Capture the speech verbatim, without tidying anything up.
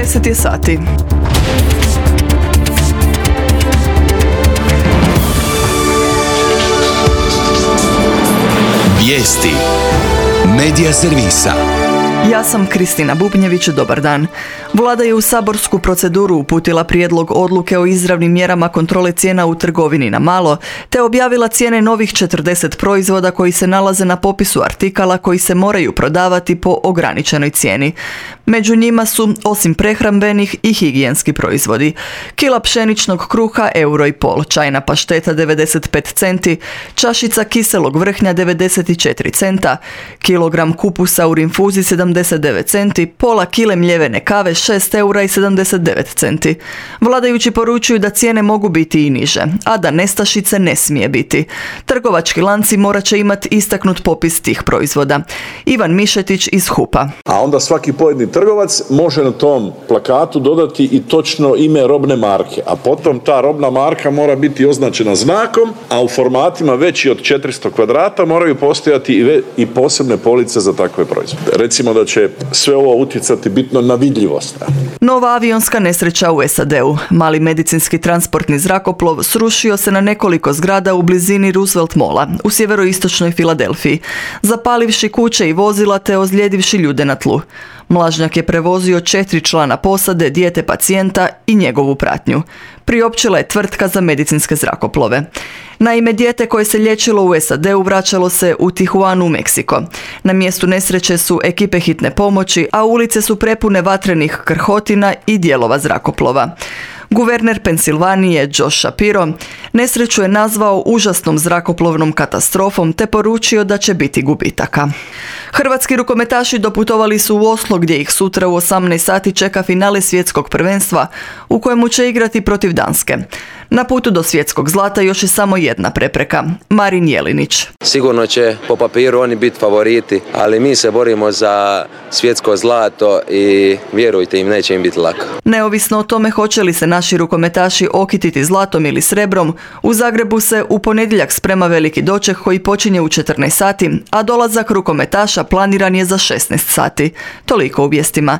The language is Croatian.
deset je sati. Vijesti Medija servisa. Ja sam Kristina Bubnjević, dobar dan. Vlada je u saborsku proceduru uputila prijedlog odluke o izravnim mjerama kontrole cijena u trgovini na malo, te objavila cijene novih četrdeset proizvoda koji se nalaze na popisu artikala koji se moraju prodavati po ograničenoj cijeni. Među njima su, osim prehrambenih, i higijenski proizvodi. Kila pšeničnog kruha euro i pol, čajna pašteta devedeset pet centi, čašica kiselog vrhnja devedeset četiri centa, kilogram kupusa u rinfuzi sedamdeset devet centi, pola kile mljevene kave šest eura i sedamdeset devet centi. Vladajući poručuju da cijene mogu biti i niže, a da nestašice ne smije biti. Trgovački lanci morat će imati istaknut popis tih proizvoda. Ivan Mišetić iz HUP-a. A onda svaki pojedini trgovac može na tom plakatu dodati i točno ime robne marke, a potom ta robna marka mora biti označena znakom, a u formatima veći od četiristo kvadrata moraju postojati i, ve- i posebne police za takve proizvode. Recimo da će sve ovo utjecati bitno na vidljivost. Nova avionska nesreća u S A D-u. Mali medicinski transportni zrakoplov srušio se na nekoliko zgrada u blizini Roosevelt Malla u sjeveroistočnoj Filadelfiji, zapalivši kuće i vozila te ozlijedivši ljude na tlu. Mlažnjak je prevozio četiri člana posade, dijete pacijenta i njegovu pratnju. Priopćila je tvrtka za medicinske zrakoplove. Naime, dijete koje se liječilo u S A D-u vraćalo se u Tijuanu u Meksiko. Na mjestu nesreće su ekipe hitne pomoći, a ulice su prepune vatrenih krhotina i dijelova zrakoplova. Guverner Pensilvanije Josh Shapiro nesreću je nazvao užasnom zrakoplovnom katastrofom te poručio da će biti gubitaka. Hrvatski rukometaši doputovali su u Oslo gdje ih sutra u osamnaest sati čeka finale svjetskog prvenstva u kojemu će igrati protiv Danske. Na putu do svjetskog zlata još je samo jedna prepreka, Marin Jelinić. Sigurno će po papiru oni biti favoriti, ali mi se borimo za svjetsko zlato i vjerujte im, neće im biti lako. Neovisno o tome hoće li se naši rukometaši okititi zlatom ili srebrom, u Zagrebu se u ponedjeljak sprema veliki doček koji počinje u četrnaest sati, a dolazak rukometaša planiran je za šesnaest sati. Toliko u vijestima.